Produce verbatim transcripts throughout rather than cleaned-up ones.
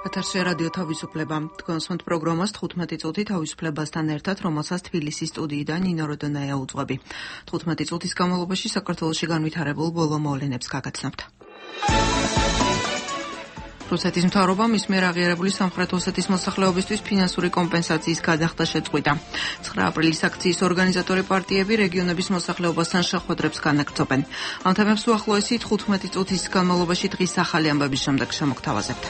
ეთერში რადიო თავისუფლება. თქვენსმენთ პროგრამას თხუთმეტი წუთი თავისუფლებასთან ერთად, რომელსაც თბილისის სტუდიიდან ნინო როდონაია უძღვები. თხუთმეტი წუთის განმავლობაში საქართველოში განვითარებულ ბოლო მოვლენებს გაგაცნობთ. რუსეთის მთავრობამ მის მიერ აღიარებული სამხრეთ ოსეთის მოსახლეობისთვის ფინანსური კომპენსაციის გადახდა შეწყვიტა. ცხრა აპრილის აქციის ორგანიზატორი პარტიები რეგიონების მოსახლეობასთან შეხვედრებს განაგრძობენ. ამ თემებს უახლოესი თხუთმეტი წუთის განმავლობაში დღის ახალი ამბების შემდეგ შემოგთავაზებთ.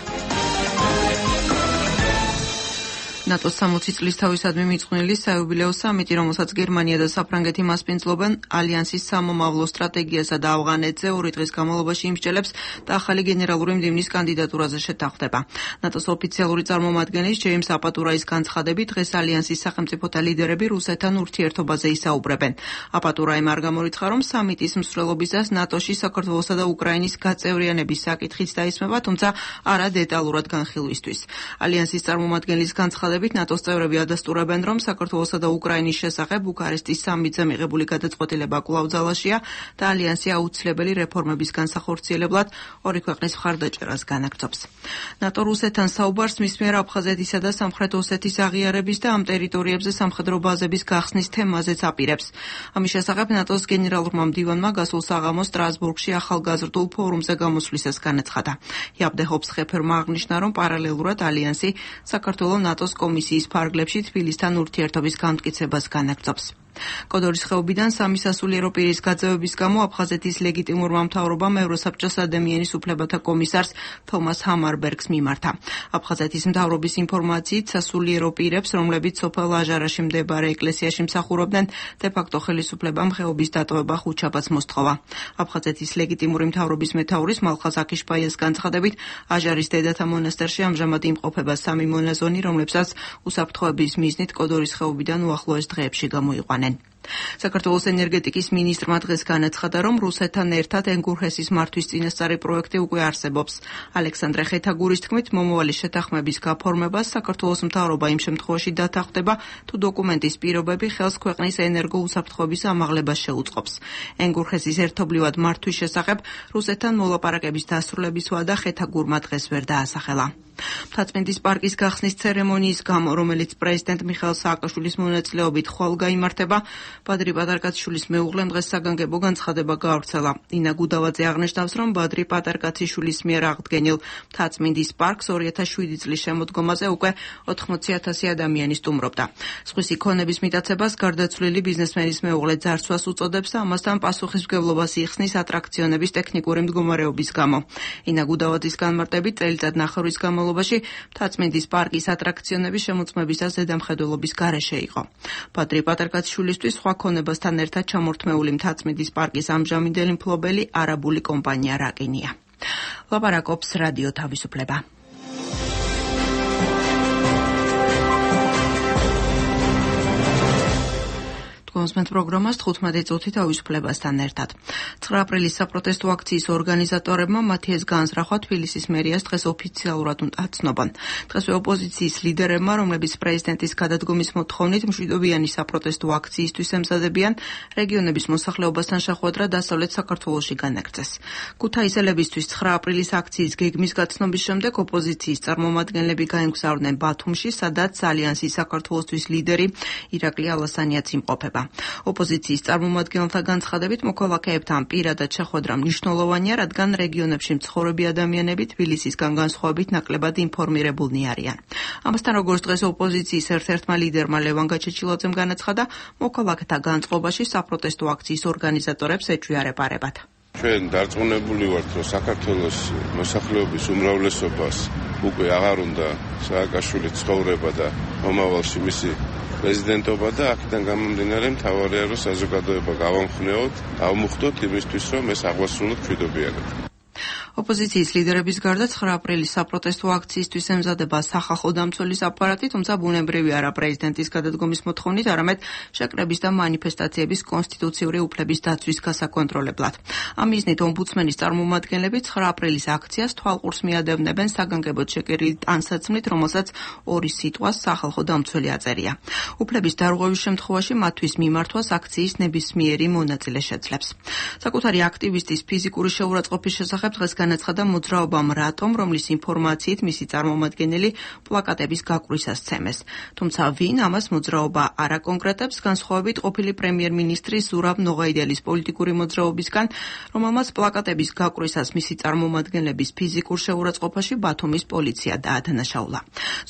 ნატოს სამოცი წლის თავისადმი მიწყვნილი საიუბილეო სამიტი, რომელსაც გერმანია და საფრანგეთი მასპინძლობენ, ალიანსის სამომავლო სტრატეგიასა და ავღანეთზე ორი დღის განმავლობაში იმსჯელებს და ახალი გენერალური მდივნის კანდიდატურაზე შეთანხმდება. ნატოს ოფიციალური წარმომადგენლის ჯეიმს აპატურაის განცხადებით, დღეს ალიანსის სახელმწიფოთა ლიდერები რუსეთთან ურთიერთობაზე ისაუბრებენ. აპატურაიმ არ გამორიცხა, რომ სამიტის მსვლელობისას ნატოში საქართველოსა და უკრაინის გაწევრიანების საკითხიც დაისმება, თუმცა არა დეტალურად განხილვისთვის. ალიანსის წარმომადგენლის განცხადებით ნატოს წევრები ადასტურებენ, რომ საქართველოსა და უკრაინის შესახებ ბუქარესტის სამიტზე მიღებული გადაწყვეტილება კვლავ ძალაშია და ალიანსი აუცილებელი რეფორმების განსახორციელებლად ორი ქვეყნის მხარდაჭერას განაგრძობს. ნატო რუსეთთან საუბარს მის მიერ აფხაზეთისა და სამხრეთ ოსეთის აღიარების და ამ ტერიტორიებზე სამხედრო ბაზების გახსნის თემაზეც აპირებს. ამის შესახებ ნატოს გენერალურმა მდივანმა გასულ საღამოს სტრასბურგში ახალგაზრდულ ფორუმზე გამოსვლისას განაცხადა. იაბდეხობს ხეფერმა აღნიშნა, რომ პარალელურად ალიანსი საქართველოს ნატოს კომისიის ფარგლებში თბილისთან ურთიერთობის განმტკიცებას განაგრძობს. კოდორის ხეობიდან სამი სასულიერო პირის გაძევების გამო აფხაზეთის ლეგიტიმურმა მთავრობამ ევროსაბჭოს ადამიანის უფლებათა კომისარს თომას ჰამარბერგს მიმართა. აფხაზეთის მთავრობის ინფორმაციით სასულიერო პირებს, რომლებიც სოფელ აჟარაში მდებარე ეკლესიაში მსახურობდნენ, დე-ფაქტო ხელისუფლებამ ხეობის დატოვება ხუთშაბათს მოსთხოვა. აფხაზეთის ლეგიტიმური მთავრობის მეთაურის მალხაზ აკიშბაიას განცხადებით, აჟარის დედათა მონასტერში ამჟამად იმყოფება სამი მონაზონი, რომლებსაც უსაფრთხოების მიზნით კოდორის ხეობიდან უახლოეს დღეებში გამოიყვანენ. საქართველოს ენერგეტიკის მინისტრმა დღეს განაცხადა, რომ რუსეთთან ერთად ენგურჰესის მართვის წინასწარი პროექტი უკვე არსებობს. ალექსანდრე ხეთაგურის თქმით, მომავალი შეთანხმების გაფორმებას საქართველოს მთავრობა იმ შემთხვევაში დათანხმდება, თუ დოკუმენტის პირობები ხელს ქვეყნის ენერგო უსაფრთხოების ამაღლებას შეუწყობს. ენგურჰესის ერთობლივად მართვის შესახებ რუსეთთან მოლაპარაკების დასრულების ვადა ხეთაგურმა დღეს ვერ დაასახელა. მთაწმინდის პარკის გახსნის ცერემონიის გამო, რომელიც პრეზიდენტ მიხაილ სააკაშვილის მონაწილეობით ხვალ გაიმართება, ბადრი პატარკაციშვილის მეუღლემ დღეს საგანგებო განცხადება გაავრცელა. ინა გუდავაძე აღნიშნავს, რომ ბადრი პატარკაციშვილის მიერ აღდგენილ მთაწმინდის პარკს ორი ათას შვიდი წლის შემოდგომაზე უკვე ოთხმოცი ათასი ადამიანი სტუმრობდა. სხვისი ქონების მიტაცებას გარდაცვლილი ბიზნესმენის მეუღლე ძარცვას უწოდებს და ამასთან პასუხისმგებლობას იხსნის ატრაქციონების ტექნიკური მდგომარეობის გამო. ინა გუდავაძის განმარტებით, წელიწად ნახევრის განმავლობაში მთაწმინდის პარკის ატრაქციონების შემოწმებისას ზედამხედველობის გარეშე იყო. ბადრი პატარკაციშვილისთვის სხვა ქონებასთან ერთად ჩამორთმეული მთაწმინდის პარკის ამჟამინდელი მფლობელი არაბული კომპანია რაკინია. ლაპარაკობს რადიო თავისუფლება. მოსმენთ პროგრამას თხუთმეტი წუთი თავისუფლებასთან ერთად. ცხრა აპრილის საპროტესტო აქციის ორგანიზატორებმა მათი ეს განზრახვა თბილისის მერიას დღეს ოფიციალურად აცნობენ. დღესვე ოპოზიციის ლიდერებმა, რომლებიც პრეზიდენტის გადადგომის მოთხოვნით მშვიდობიანი საპროტესტო აქციისთვის ემზადებიან, რეგიონების მოსახლეობასთან შეხვედრა დასავლეთ საქართველოში განაგრძეს. ქუთაისელებისთვის ცხრა აპრილის აქციის გეგმის გაცნობის შემდეგ ოპოზიციის წარმომადგენლები გაემგზავრნენ ბათუმში, სადაც ალიანსის საქართველოსთვის ლიდერი ირაკლი ალასანიაც იმყოფება. ოპოზიციის წარმომადგენელთა განცხადებით, მოქალაქეებთან პირადად შეხვედრა მნიშვნელოვანია, რადგან რეგიონებში მცხოვრები ადამიანები თბილისისგან განსხვავებით ნაკლებად ინფორმირებულნი არიან. ამასთან, როგორც დღეს ოპოზიციის ერთ-ერთმა ლიდერმა ლევან გაჩეჩილაძემ განაცხადა, მოქალაქეთა განწყობაში საპროტესტო აქციის ორგანიზატორებს ეჩვიარებარებათ. ჩვენ დარწმუნებული ვართ, რომ საქართველოს მოსახლეობის უმრავლესობას უკვე აღარ უნდა სააკაშვილის ცხოვრება და მომავალში მისი პრეზიდენტობა და აქედან გამომდინარე მთავარია, რომ საზოგადოება გავამხნეოთ, ავმუხტოთ იმისთვის, რომ ეს აღვასრულოთ მშვიდობიანად. ოპოზიციის ლიდერების გარდა ცხრა აპრილის საპროტესტო აქციისთვის ემზადება სახალხო დამცველის აპარატი, თუმცა ბუნებრივი არა პრეზიდენტის გადადგომის მოთხოვნით, არამედ შეკრების და მანიფესტაციების კონსტიტუციური უფლების დაცვის გასაკონტროლებლად. ამ მიზნით ომბუდსმენის წარმომადგენლები ცხრა აპრილის აქციას თვალყურს მიადევნებენ საგანგებოდ შეკერილი ტანსაცმლით, რომელსაც ორი სიტყვას სახალხო დამცველი აწერია. უფლების დარღვევის შემთხვევაში მათთვის მიმართვას აქციის ნებისმიერი მონაწილე შეძლებს. საკუთარი აქტივისტის ფიზიკური შეურაცხყოფის შესახებ დღეს განაცხადა მოძრაობამ რატომ, რომლის ინფორმაციით მისი წარმომადგენელი პლაკატების გაყვრისას სცემეს. თუმცა ვინ ამას მოძრაობა არ აკონკრეტებს, განსხვავებით ყოფილი პრემიერ-მინისტრის ზურაბ ნოღაიდელის პოლიტიკური მოძრაობისგან, რომელმაც პლაკატების გაყვრისას მისი წარმომადგენლების ფიზიკურ შეურაცხყოფაში ბათუმის პოლიცია დაადანაშაულა.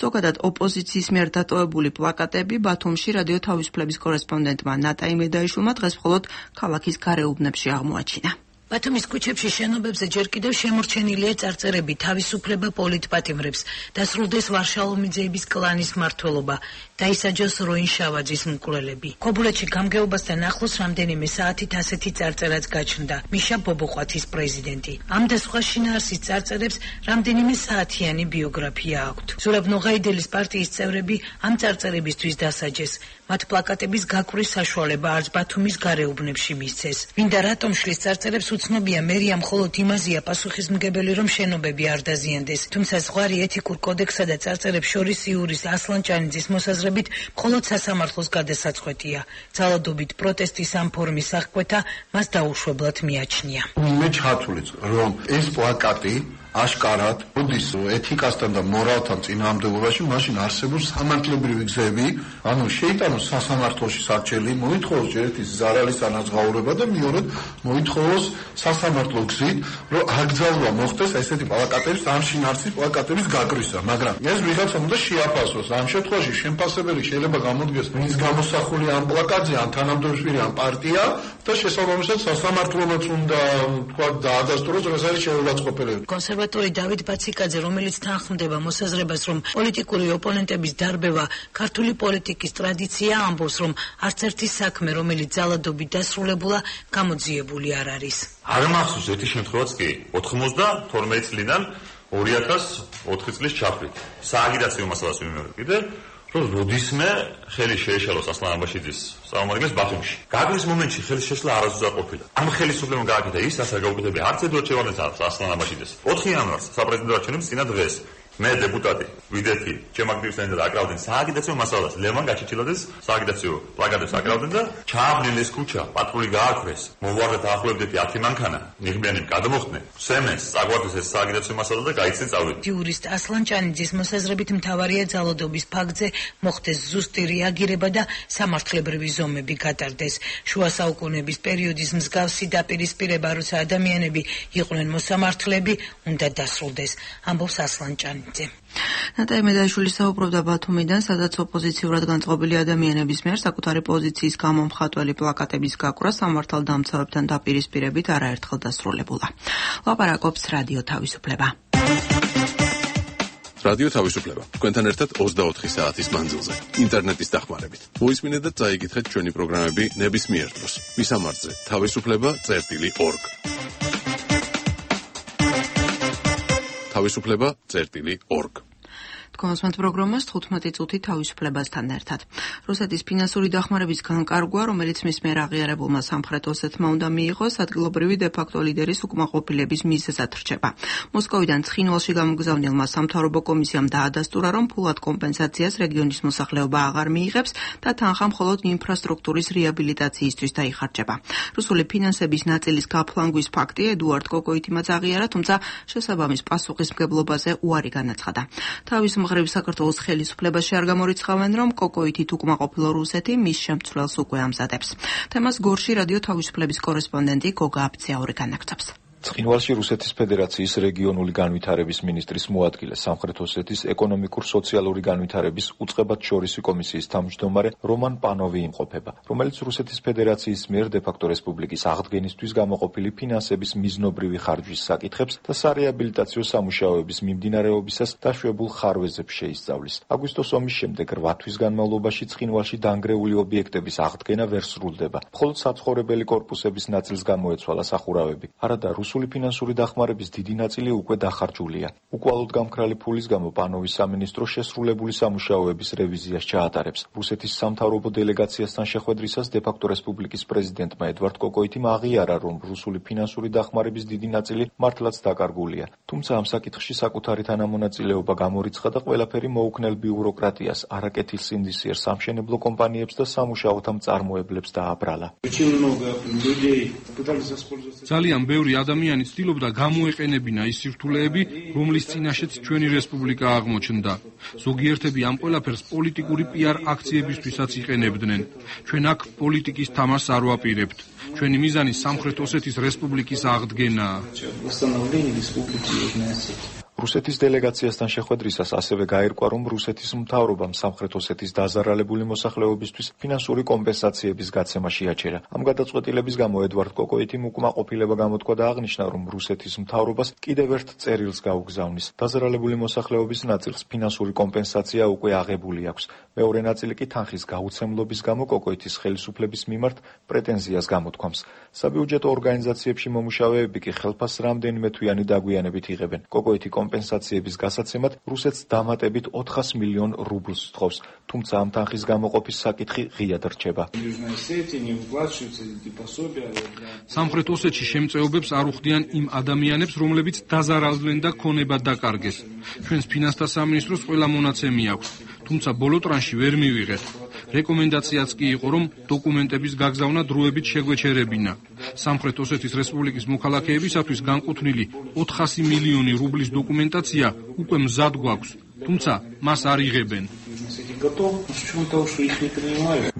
ზოგადად ოპოზიციის მიერ დატოვებული პლაკატები ბათუმში რადიო თავისუფლების კორესპონდენტმა ნატა იმედაიშვილმა დღეს მხოლოდ ქალაქის გარეუბნებში აღმოაჩინა. ბათუმის ქუჩებში შენობებზე ჯერ კიდევ შემორჩენილია წარწერები თავისუფლება პოლიტპატიმრებს, დასრულდეს ვარშალომიძეების კლანის მმართველობა, დაისაჯოს როინ შავაძის მკვლელები. ქობულეთში გამგეობასთან ახლოს რამდენიმე საათით ასეთი წარწერაც გაჩნდა. მიშა ბობოყვათის პრეზიდენტი. ამ და სხვა შინაარსის წარწერებს რამდენიმე საათიანი ბიოგრაფია აქვთ. ზურაბ ნოღაიდელის პარტიის წევრები ამ წარწერებისთვის დასაჯეს. მათ პლაკატების გაყრის საშუალება არც ბათუმის გარეუბნებში მისცეს. ვინდა რატომ შლის წარწერებს უცნობია, მერია მხოლოდ იმაზეა პასუხისმგებელი, რომ შენობები არ დაზიანდეს. თუმცა ზღვარი ეთიკურ კოდექსსა და წარწერებს შორის იურის ასლანჭანიძის მოსაზრებით მხოლოდ სასამართლოს გადასაწყვეტია. ძალადობით პროტესტის ამ ფორმის აღკვეთა მას დაუშვებლად მიაჩნია. მე ჩათვლით, რომ ეს პლაკატი აშკარად მოდის ეთიკასთან და მორალთან წინააღმდეგობაში, მაშინ არსებობს სამართლებრივი გზები, ანუ შეიტანოს სასამართლოში სარჩელი, მოითხოვოს ერთის ზარალის ანაზღაურება და მეორედ მოითხოვოს სასამართლო გზით, რომ აკრძალვა მოხდეს ესეთი პლაკატების, ამ შინაარსის პლაკატების გაყრისა, მაგრამ ეს ვიღაცა უნდა შეაფასოს. ამ შემთხვევაში შემფასებელი შეიძლება გამოდგეს, ვინც გამოსახულია ამ პლაკატზე, ან თანამდებობრივი ან პარტია და შესაბამისად სასამართლოც უნდა თქვა დაადასტუროს, რომ ეს არის შეურაცხყოფელები. კონსერვატორი დავით ბაციკაძე, რომელიც თანხმდება მოსაზრებას, რომ პოლიტიკური ოპონენტების დარბევა ქართული პოლიტიკის ტრადიცია, ამბობს, რომ არც ერთი საქმე, რომელიც ძალადობით დასრულებულა, გამოძიებული არ არის. არ მახსოვს ერთი შემთხვევაც კი ოთხმოცდათორმეტი წლიდან ორი ათას ოთხი წლის ჩაფრით. სააგიტაციო მასალას ვიმეორებ კიდე, რომ როდისმე ხელი შეეშალოს ასლან აბაშიძის წარმომადგენლებს ბათუმში. გაგვრის მომენტში ხელის შეშლა არასდროს არ ყოფილა. ამ ხელისუფლებამ გააკეთა ის, რასაც გაუკეთებია არც ედვარდ ჩევარდენს ასლან აბაშიძეს. ოთხი იანვარს საპრეზიდენტო არჩევნების წინა დღეს მე დეპუტატი ვიდეთი ჩემაგდივსანი და აკრავდნენ სააგიტაციო მასალას. ლევან გაჩეჩილაძეს სააგიტაციო პლაკატებს აკრავდნენ და ჩააბნილეს ქუჩა, პატრული გააქვეს. მოვარდეთ ახლობდეთი ათი მანქანა, ნიღბიანები გადმოხდნენ. სემეს წაგვარდეს ეს სააგიტაციო მასალა და გაიცნენ წავედი. იურისტ ასლანჭანიძის მოსაზრებით მთავარია ძალადობის ფაქტზე მოხდეს ზუსტი რეაგირება და სამართლებრივი ზომები გატარდეს. შუა საუკუნეების პერიოდის მსგავსი დაპირისპირება, როცა ადამიანები იყვნენ მოსამართლეები, უნდა დასრულდეს, ამბობს ასლანჭანიძე. ნატა იმედაიშვილი საუბრობდა ბათუმიდან, სადაც ოპოზიციურად განწყობილი ადამიანების მიერ საკუთარი პოზიციის გამომხატველი პლაკატების გაყვრა სამართალდამცავებთან დაპირისპირებით არაერთხელ დასრულებულა. ლაპარაკობს რადიო თავისუფლება. რადიო თავისუფლება. თქვენთან ერთად ოცდაოთხი საათის მანძილზე. ინტერნეტის დახმარებით. მოისმინეთ და წაიგითხეთ ჩვენი პროგრამები ნებისმიერ დროს. მისამართზე თავისუფლება წერტილი ორგ. თავისუფლება წერტილი ორგ. კონსმენტ პროგრამას თხუთმეტი წუთი თავისუფლებასთან ერთად. რუსეთის ფინანსური დახმარების განკარგვა, რომელიც მის მიერ აღიარებულმა სამხრეთ ოსეთმა უნდა მიიღოს, ადგილობრივი დე-ფაქტო ლიდერის უკმაყოფილების მიზეზად რჩება. მოსკოვიდან ცხინვალში გამოგზავნილმა სამთავრობო კომისიამ დაადასტურა, რომ ფულად კომპენსაციას რეგიონის მოსახლეობა აღარ მიიღებს და თანხა მხოლოდ ინფრასტრუქტურის რეაბილიტაციისთვის დაიხარჯება. რუსული ფინანსების ნაწილის გაფლანგვის ფაქტი ედუარდ კოკოიტიმაც აღიარა, თუმცა შესაბამის პასუხისმგებლობაზე უარი განაცხადა. თავის მხრივ საქართველოს ხელისუფლებაში არ გამორიცხავენ, რომ კოკოითით უკმაყოფილო რუსეთი მის შემცვლელს უკვე ამზადებს. თემას გორში რადიო თავისუფლების კორესპონდენტი გოგა აბციაური განაგრძობს. ცხინვალში რუსეთის ფედერაციის რეგიონული განვითარების მინისტრის მოადგილე სამხრეთ ოსეთის ეკონომიკურ-სოციალური განვითარების უწყებათშორისი კომისიის თავმჯდომარე რომან პანოვი იმყოფება, რომელიც რუსეთის ფედერაციის მიერ დე-ფაქტო რესპუბლიკის აღდგენისთვის გამოყოფილი ფინანსების მიზნობრივი ხარჯვის საკითხებს და სარეაბილიტაციო სამუშაოების მიმდინარეობისას დაშვებულ ხარვეზებს შეისწავლის. აგვისტოს ომის შემდეგ რვა თვის განმავლობაში ცხინვალში დანგრეული ობიექტების აღდგენა ვერ სრულდება. მხოლოდ საცხოვრებელი კორპუსების ნაწილს გამოეცვალა სახურავები. არადა რუსული ფინანსური დახმარების დიდი ნაწილი უკვე დახარჯულია. უკვალოდ გამქრალი ფულის გამო პანოვის სამინისტრო შესრულებული სამუშაოების რევიზიას ჩაატარებს. რუსეთის სამთავრობო დელეგაციასთან შეხვედრისას დე-ფაქტო რესპუბლიკის პრეზიდენტმა ედვარდ კოკოიტიმ აღიარა, რომ რუსული ფინანსური დახმარების დიდი ნაწილი მართლაც დაკარგულია. თუმცა ამ საკითხში საკუთარი თანამონაწილეობა გამორიცხა და ყველაფერი მოუქნელ ბიუროკრატიას, არაკეთილსინდისიერ სამშენებლო კომპანიებს და სამუშაოთა მწარმოებლებს დააბრალა. ძალიან ბევრი ადამიანი ადამიანი ცდილობდა გამოეყენებინა ის სირთულეები, რომლის წინაშეც ჩვენი რესპუბლიკა აღმოჩნდა. ზოგიერთები ამ ყველაფერს პოლიტიკური პიარ აქციებისთვისაც იყენებდნენ. ჩვენ აქ პოლიტიკის თამაშს არ ვაპირებთ. ჩვენი მიზანი სამხრეთ ოსეთის რესპუბლიკის აღდგენაა. რუსეთის დელეგაციასთან შეხვედრისას ასევე გაირკვა, რომ რუსეთის მთავრობამ სამხრეთ ოსეთის დაზარალებული მოსახლეობისთვის ფინანსური კომპენსაციების გაცემა შეაჩერა. ამ გადაწყვეტილების გამო ედვარდ კოკოიტიმ უკმაყოფილება გამოთქვა და აღნიშნა, რომ რუსეთის მთავრობას კიდევ ერთ წერილს გაუგზავნის. დაზარალებული მოსახლეობის ნაწილს ფინანსური კომპენსაცია უკვე აღებული აქვს. მეორე ნაწილი კი თანხის გაუცემლობის გამო კოკოიტის ხელისუფლების მიმართ პრეტენზიას გამოთქვამს. საბიუჯეტო ორგანიზაციებში მომუშავეები კი ხელფასს რამდენიმე თვიანი დაგვიანებით იღებენ. კოკოიტი კომპენსაციების გასაცემად რუსეთს დამატებით ოთხას მილიონ რუბლს სთხოვს, თუმცა ამ თანხის გამოყოფის საკითხი ღიად რჩება. სამხრეთ ოსეთში შემწეობებს არ უხდიან იმ ადამიანებს, რომლებიც დაზარალდნენ და ქონება დაკარგეს. ჩვენს ფინანსთა სამინისტროს ყველა მონაცემი აქვს, თუმცა ბოლო ტრანში ვერ მივიღეთ. რეკომენდაციაც კი იყო, რომ დოკუმენტების გაგზავნა დროებით შეგვეჩერებინა. სამხრეთ ოსეთის რესპუბლიკის მოქალაქეებისათვის განკუთვნილი ოთხასი მილიონი რუბლის დოკუმენტაცია უკვე მზად გვაქვს, თუმცა მას არ იღებენ.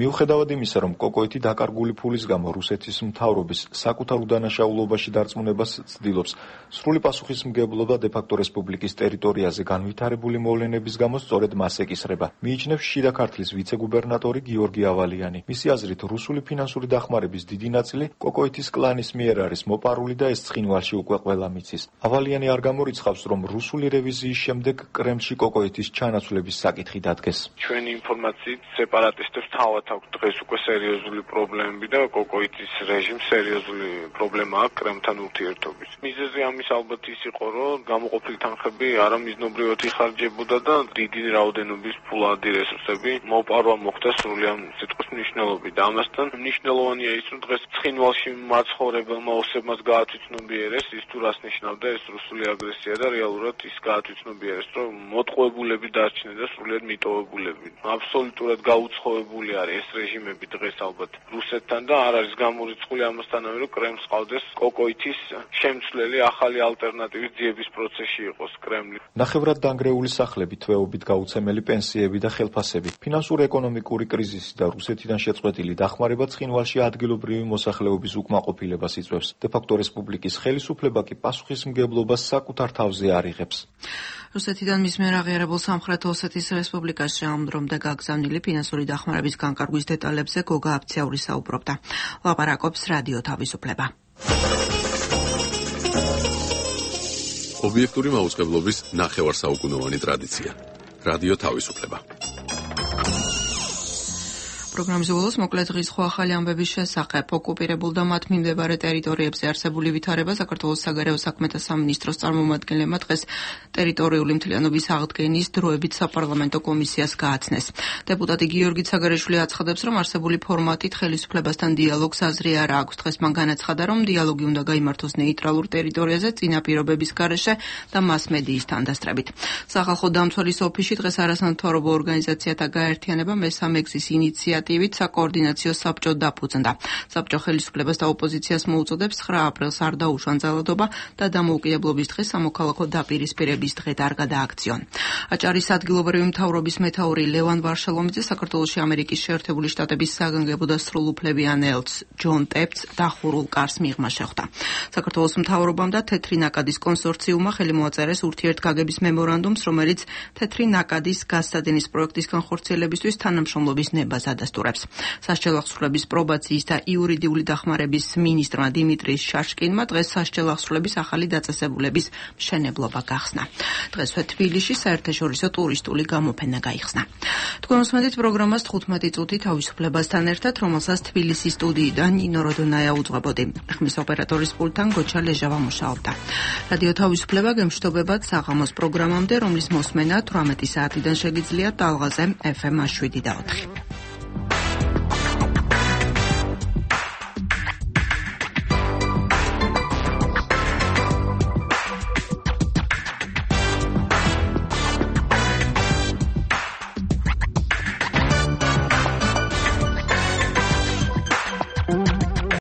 მიუხედავად იმისა, რომ კოკოიტი დაკარგული ფულის გამო რუსეთის მთავრობის საკუთარ უდანაშაულობაში დარწმუნებას ცდილობს, სრული პასუხისმგებლობა დე-ფაქტო რესპუბლიკის ტერიტორიაზე განვითარებული მოვლენების გამო სწორედ მას ეკისრება. მიიჩნევს შიდა ქართლის ვიცე-გუბერნატორი გიორგი ავალიანი. მისი აზრით, რუსული ფინანსური დახმარების დიდი ნაწილი კოკოიტის კლანის მიერ არის მოპარული და ეს ცხინვალში უკვე ყველა მიცის. ავალიანი არ გამორიცხავს, რომ რუსული რევიზიის შემდეგ კრემლში კოკოიტის ჩანაცვლების საკითხი დადგეს. ჩვენი ინფორმაციით სეპარატისტებს თავად აქვს დღეს უკვე სერიოზული პრობლემები და კოკოიტის რეჟიმს სერიოზული პრობლემა აქვს კრემლთან ურთიერთობის. მიზეზი ამის ალბათ ის იყო, რომ გამოყოფილი თანხები არამიზნობრივად იხარჯებოდა და დიდი რაოდენობის ფულადი რესურსები მოპარვა მოხდა სრულად სიტყვის მნიშვნელობით. და ამასთან მნიშვნელოვანია ის, რომ დღეს ცხინვალში მაცხოვრებელმა ოსებმაც გაათვითცნობიერეს ის თუ რას ნიშნავდა ეს რუსული აგრესია და რეალურად ის გაათვითცნობიერეს, რომ მოტყუებულები დარჩნენ და სრულად მიტოვებულები. აბსოლუტურად გაუცხოებული არის ეს რეჟიმები დღეს ალბათ რუსეთთან და არ არის გამორიცხული ამასთანავე, რომ კრემლს ყავდეს კოკოიტის შემცვლელი ახალი ალტერნატივის ძიების პროცესში იყოს კრემლი. ნახევრად დანგრეული სახლები, თვეობით გაუცემელი პენსიები და ხელფასები, ფინანსურ-ეკონომიკური კრიზისი და რუსეთიდან შეწყვეტილი დახმარება ცხინვალში ადგილობრივი მოსახლეობის უკმაყოფილებას იწვევს. დე-ფაქტო რესპუბლიკის ხელისუფლება კი პასუხისმგებლობას საკუთარ თავზე არ იღებს. რუსეთიდან მის მიერ აღიარებულ სამხრეთ ოსეთის რესპუბლიკაში ამ დრომდე გაგზავნილი ფინანსური დახმარების განკარგვის დეტალებზე გოგა აფციაური საუბრობდა. ლაპარაკობს რადიო თავისუფლება. ობიექტური მაუწყებლობის ნახევარსაუკუნოვანი ტრადიცია. რადიო თავისუფლება. პროგრამის ბოლოს მოკლედ დღის სხვა ახალი ამბების შესახებ ოკუპირებულ და მათ მიმდებარე ტერიტორიებზე არსებული ვითარება საქართველოს საგარეო საქმეთა სამინისტროს წარმომადგენლებმა დღეს ტერიტორიული მთლიანობის აღდგენის დროებით საპარლამენტო კომისიას გააცნეს. დეპუტატი გიორგი ცაგარეშვილი აცხადებს, რომ არსებული ფორმატით ხელისუფლებასთან დიალოგს აზრი არ აქვს. დღეს მან განაცხადა, რომ დიალოგი უნდა გაიმართოს ნეიტრალურ ტერიტორიაზე წინა პირობების გარეშე და მასმედიის თანდასწრებით. სახალხო დამცველის ოფისში დღეს არასამთავრობო ორგანიზაციათა გაერთიანება მესამე გზის ინიციატივით საკოორდინაციო საბჭო დაფუძნდა. საბჭო ხელისუფლებას და ოპოზიციას მოუწოდებს ცხრა აპრილს არ დაუშვან ძალადობა და დამოუკიდებლობის დღეს სამოქალაქო დაპირისპირების დღედ არ გადააქციონ. აჭარის ადგილობრივი მთავრობის მეთაური ლევან ვარშალომიძე საქართველოში ამერიკის შეერთებული შტატების საგანგებო და სრულუფლებიან ელჩს ჯონ ტეპს დახურულ კარს მიღმა შეხვდა. საქართველოს მთავრობამ და თეთრი ნაკადის კონსორციუმმა ხელი მოაწერეს ურთიერთგაგების მემორანდუმს, რომელიც თეთრი ნაკადის გასცადენის პროექტის განხორციელებისთვის თანამშრომლობის ნებას ადასტურებს. სასჯელ აღსრულების პრობაციის და იურიდიული დახმარების მინისტრმა დიმიტრი შაშკინმა დღეს სასჯელ აღსრულების ახალი დაწესებულების მშენებლობა გახსნა. დღესვე თბილისში საერთაშორისო ტურისტული გამოფენა გაიხსნა. თქვენ უსმენთ პროგრამას თხუთმეტი წუთი თავისუფლებასთან ერთად, რომელსაც თბილისის სტუდიიდან ნინო როდონაია უძღვებოდი. ხმის ოპერატორის პულტთან გოჩა ლეჟავა მუშაობდა. რადიო თავისუფლება გემშვიდობებად საღამოს პროგრამამდე, რომლის მოსმენა თვრამეტი საათიდან შეგიძლიათ ტალღაზე ეფ ემ შვიდი და ოთხი.